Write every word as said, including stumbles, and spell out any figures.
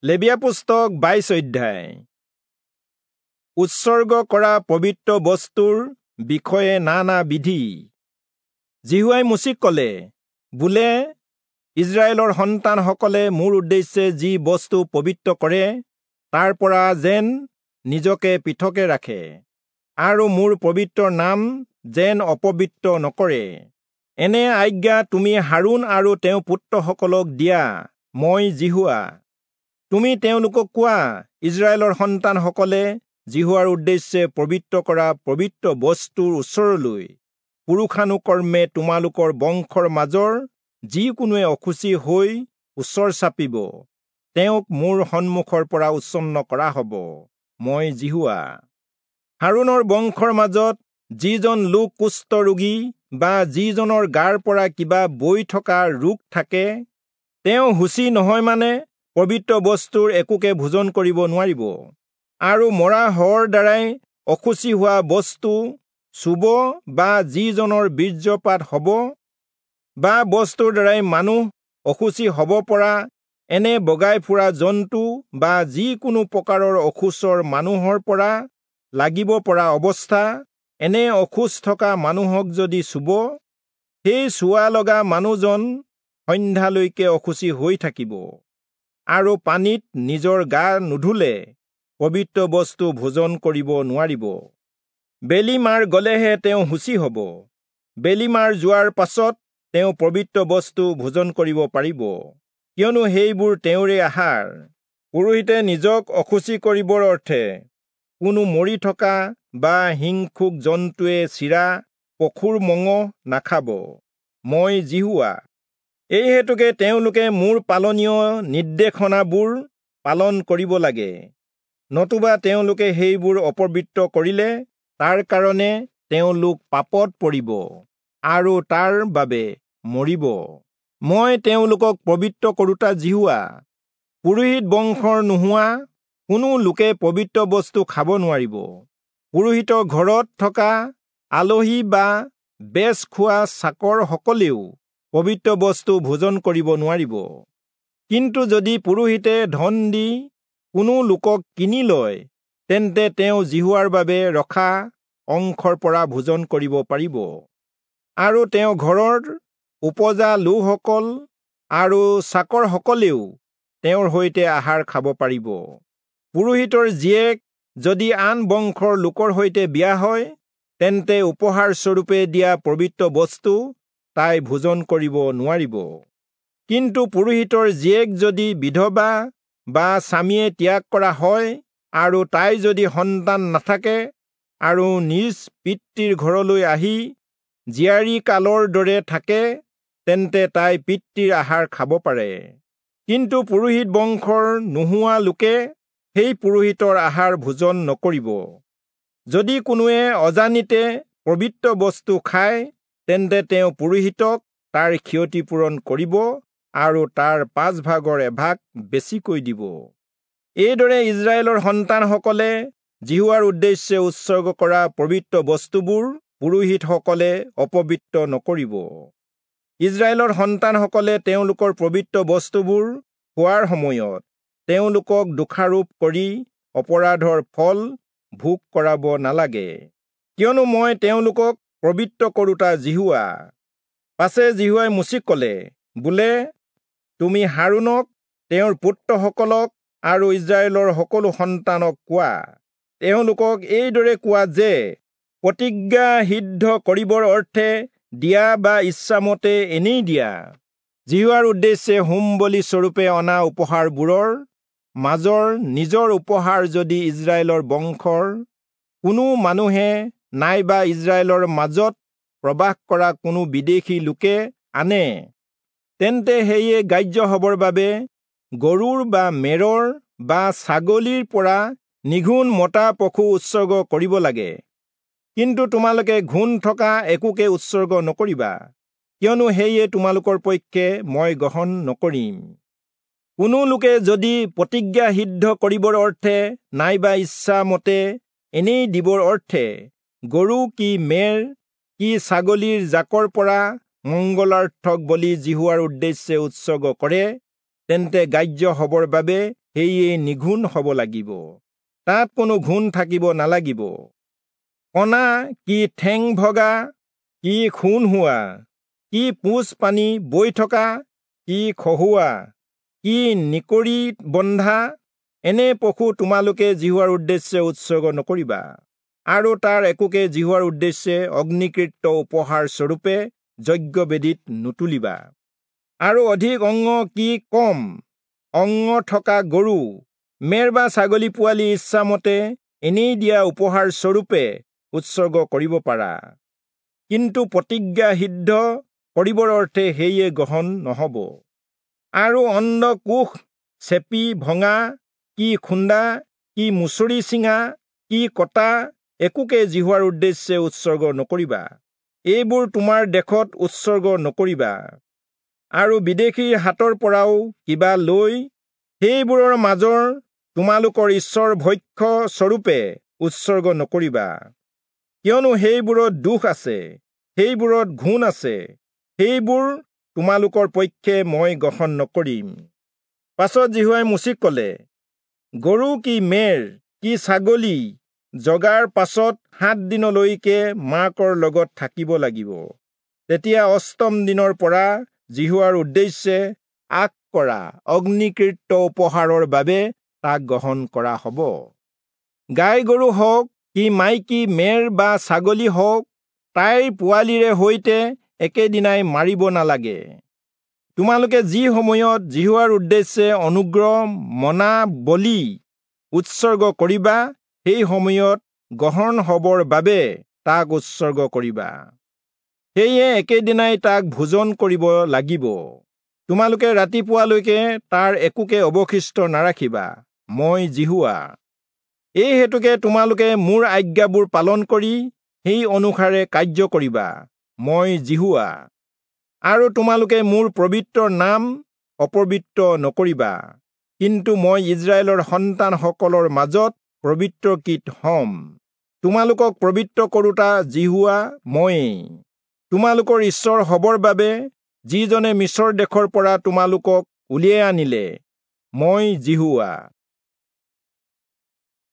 লেবীয়া পুস্তক বাইশ অধ্যায়। উৎসৰ্গ কৰা পবিত্ৰ বস্তুৰ বিষয়ে নানা বিধি। যিহোৱাই মোচিক ক'লে, বোলে ইস্ৰায়েলৰ সন্তানসকলে মোৰ উদ্দেশ্যে যি বস্তু পবিত্ৰ কৰে তাৰ পৰা যেন নিজকে পৃথকে ৰাখে আৰু মোৰ পবিত্ৰ নাম যেন অপবিত্ৰ নকৰে, এনে আজ্ঞা তুমি হাৰোণ আৰু তেওঁৰ পুত্ৰসকলক দিয়া। মই যিহোৱা। তুমি তেওঁলোকক কোৱা, ইস্ৰায়েলৰ সন্তানসকলে যিহোৱাৰ উদ্দেশ্যে পবিত্ৰ কৰা পবিত্ৰ বস্তুৰ ওচৰলৈ পুৰুষানুকৰ্মে তোমালোকৰ বংশৰ মাজৰ যিকোনোৱে অশুচি হৈ ওচৰ চাপিব, তেওঁক মোৰ সন্মুখৰ পৰা উচ্ছন্ন কৰা হ'ব। মই যিহোৱা। হাৰোণৰ বংশৰ মাজত যিজন লোক কুষ্ঠৰোগী বা যিজনৰ গাৰ পৰা কিবা বৈ থকা ৰোগ থাকে, তেওঁ শুচি নহয় মানে পবিত্ৰ বস্তুৰ একোকে ভোজন কৰিব নোৱাৰিব, আৰু মৰা শৱৰ দ্বাৰাই অশুচি হোৱা বস্তু চুব বা যিজনৰ বীৰ্যপাত হ'ব বা বস্তুৰ দ্বাৰাই মানুহ অশুচি হ'ব পৰা এনে বগাই ফুৰা জন্তু বা যিকোনো প্ৰকাৰৰ অশৌচৰ মানুহৰ পৰা লাগিব পৰা অৱস্থা, এনে অশৌচ থকা মানুহক যদি চুব, সেই চোৱা লগা মানুহজন সন্ধ্যালৈকে অশুচি হৈ থাকিব, আৰু পানীত নিজৰ গা নুধুলে পবিত্ৰ বস্তু ভোজন কৰিব নোৱাৰিব। বেলি মাৰ গলেহে তেওঁ শুচি হ'ব। বেলি মাৰ যোৱাৰ পাছত তেওঁ পবিত্ৰ বস্তু ভোজন কৰিব পাৰিব, কিয়নো সেইবোৰ তেওঁৰে আহাৰ। পুৰোহিতে নিজক অশুচি কৰিবৰ অৰ্থে কোনো মৰি থকা বা হিংসুক জন্তুৱে চিৰা পশুৰ মঙহ নাখাব। মই যিহোৱা। এই হেতুকে তেওঁলোকে মোৰ পালনীয় নিৰ্দেশনাবোৰ পালন কৰিব লাগে, নতুবা তেওঁলোকে সেইবোৰ অপবিত্ৰ কৰিলে তাৰ কাৰণে তেওঁলোক পাপত পৰিব আৰু তাৰ বাবে মৰিব। মই তেওঁলোকক পবিত্ৰ কৰোঁতা যিহোৱা। পুৰোহিত বংশৰ নোহোৱা কোনো লোকে পবিত্ৰ বস্তু খাব নোৱাৰিব। পুৰোহিতৰ ঘৰত থকা আলহী বা বেচ খোৱা চাকৰসকলেও পবিত্ৰ বস্তু ভোজন কৰিব নোৱাৰিব। কিন্তু যদি পুৰোহিতে ধন দি কোনো লোকক কিনি লয়, তেন্তে তেওঁ যিহোৱাৰ বাবে ৰখা অংশৰ পৰা ভোজন কৰিব পাৰিব, আৰু তেওঁ ঘৰৰ উপজা লোকসকল আৰু চাকৰসকলেও তেওঁৰ সৈতে আহাৰ খাব পাৰিব। পুৰোহিতৰ জীয়েক যদি আন বংশৰ লোকৰ সৈতে বিয়া হয়, তেন্তে উপহাৰস্বৰূপে দিয়া পবিত্ৰ বস্তু তাই ভোজন কৰিব নোৱাৰিব। কিন্তু পুৰোহিতৰ জীয়েক যদি বিধৱা বা স্বামীয়ে ত্যাগ কৰা হয়, আৰু তাই যদি সন্তান নাথাকে আৰু নিজ পিতৃৰ ঘৰলৈ আহি জীয়াৰী কালৰ দৰে থাকে, তেন্তে তাই পিতৃৰ আহাৰ খাব পাৰে। কিন্তু পুৰোহিত বংশৰ নোহোৱা লোকে সেই পুৰোহিতৰ আহাৰ ভোজন নকৰিব। যদি কোনোৱে অজানিতে পবিত্ৰ বস্তু খায়, তেন্তে তেওঁ পুৰোহিতক তাৰ ক্ষতিপূৰণ কৰিব আৰু তাৰ পাঁচ ভাগৰ এভাগ বেছিকৈ দিব। এইদৰে ইস্ৰায়েলৰ সন্তানসকলে যিহোৱাৰ উদ্দেশ্যে উৎসৰ্গ কৰা পবিত্ৰ বস্তুবোৰ পুৰোহিতসকলে অপবিত্ৰ নকৰিব। ইস্ৰায়েলৰ সন্তানসকলে তেওঁলোকৰ পবিত্ৰ বস্তুবোৰ খোৱাৰ সময়ত তেওঁলোকক দোষাৰোপ কৰি অপৰাধৰ ফল ভোগ কৰাব নালাগে, কিয়নো মই তেওঁলোকক পবিত্ৰ কৰোঁতা যিহোৱা। পাছে যিহোৱাই মোচিক ক'লে, বোলে তুমি হাৰোণক, তেওঁৰ পুত্ৰসকলক আৰু ইস্ৰায়েলৰ সকলো সন্তানক কোৱা, তেওঁলোকক এইদৰে কোৱা যে প্ৰতিজ্ঞা সিদ্ধ কৰিবৰ অৰ্থে দিয়া বা ইচ্ছামতে এনেই দিয়া যিহোৱাৰ উদ্দেশ্যে হোম বলি স্বৰূপে অনা উপহাৰবোৰৰ মাজৰ নিজৰ উপহাৰ যদি ইস্ৰায়েলৰ বংশৰ কোনো মানুহে নাইবা ইস্ৰায়েলৰ মাজত প্ৰবাস কৰা কোনো বিদেশী লোকে আনে, তেন্তে সেয়ে গ্ৰাহ্য হ'বৰ বাবে গৰুৰ বা মেৰৰ বা ছাগলীৰ পৰা নিঘুণ মতা পশু উৎসৰ্গ কৰিব লাগে। কিন্তু তোমালোকে ঘূণ থকা একোকে উৎসৰ্গ নকৰিবা, কিয়নো সেয়ে তোমালোকৰ পক্ষে মই গ্ৰহণ নকৰিম। কোনো লোকে যদি প্ৰতিজ্ঞা সিদ্ধ কৰিবৰ অৰ্থে নাইবা ইচ্ছামতে এনেই দিবৰ অৰ্থে গৰু কি মেৰ কি ছাগলীৰ জাকৰ পৰা মংগলাৰ্থক বলি যিহোৱাৰ উদ্দেশ্যে উৎসৰ্গ কৰে, তেন্তে গ্ৰাহ্য হ'বৰ বাবে সেয়ে নিঘূণ হ'ব লাগিব, তাত কোনো ঘূণ থাকিব নালাগিব। কণা কি ঠেং ভগা, কি খুন হোৱা, কি পুঁজ পানী বৈ থকা, কি খহোৱা, কি নিকৰি বন্ধা, এনে পশু তোমালোকে যিহোৱাৰ উদ্দেশ্যে উৎসৰ্গ নকৰিবা, আৰু তাৰ একোকে যিহোৱাৰ উদ্দেশ্যে অগ্নিকৃত উপহাৰ স্বৰূপে যজ্ঞবেদীত নুতুলিবা। আৰু অধিক অংগ কি কম অংগ থকা গৰু, মেৰ বা ছাগলী পোৱালি ইচ্ছামতে এনেই দিয়া উপহাৰ স্বৰূপে উৎসৰ্গ কৰিব পাৰা, কিন্তু প্ৰতিজ্ঞা সিদ্ধ কৰিবৰ অৰ্থে সেয়ে গ্ৰহণ নহ'ব। আৰু অণ্ডকোষ চেপি ভঙা, কি খুন্দা, কি মুচৰি ছিঙা, কি কটা, একোকে যিহোৱাৰ উদ্দেশ্যে উৎসৰ্গ নকৰিবা। এইবোৰ তোমাৰ দেশত উৎসৰ্গ নকৰিবা। আৰু বিদেশীৰ হাতৰ পৰাও কিবা লৈ সেইবোৰৰ মাজৰ তোমালোকৰ ঈশ্বৰ ভক্ষ্য স্বৰূপে উৎসৰ্গ নকৰিবা, কিয়নো সেইবোৰত দোষ আছে, সেইবোৰত ঘূণ আছে, সেইবোৰ তোমালোকৰ পক্ষে মই গ্ৰহণ নকৰিম। পাছত যিহোৱাই মোচিক ক'লে, গৰু কি মেৰ কি ছাগলী জগাৰ পাছত সাত দিনলৈকে মাকৰ লগত থাকিব লাগিব। তেতিয়া অষ্টম দিনৰ পৰা যিহোৱাৰ উদ্দেশ্যে আগ কৰা অগ্নিকৃত উপহাৰৰ বাবে তাক গ্ৰহণ কৰা হ'ব। গাই গৰু হওক কি মাইকী মেৰ বা ছাগলী হওক, তাইৰ পোৱালিৰে সৈতে একেদিনাই মাৰিব নালাগে। তোমালোকে যি সময়ত যিহোৱাৰ উদ্দেশ্যে অনুগ্ৰহ মনা বলি উৎসৰ্গ কৰিবা, সেই সময়ত গ্ৰহণ হ'বৰ বাবে তাক উৎসৰ্গ কৰিবা। সেয়ে একেদিনাই তাক ভোজন কৰিব লাগিব। তোমালোকে ৰাতিপুৱালৈকে তাৰ একোকে অৱশিষ্ট নাৰাখিবা। মই যিহোৱা। এই হেতুকে তোমালোকে মোৰ আজ্ঞাবোৰ পালন কৰি সেই অনুসাৰে কাৰ্য কৰিবা। মই যিহোৱা। আৰু তোমালোকে মোৰ পবিত্ৰ নাম অপবিত্ৰ নকৰিবা, কিন্তু মই ইস্ৰায়েলৰ সন্তানসকলৰ মাজত পবিত্ৰকৃত হ'ম। তোমালোকক পবিত্ৰ কৰোঁতা যিহোৱা ময়েই। তোমালোকৰ ঈশ্বৰ হ'বৰ বাবে যিজনে মিচৰ দেশৰ পৰা তোমালোকক উলিয়াই আনিলে, মই যিহোৱা।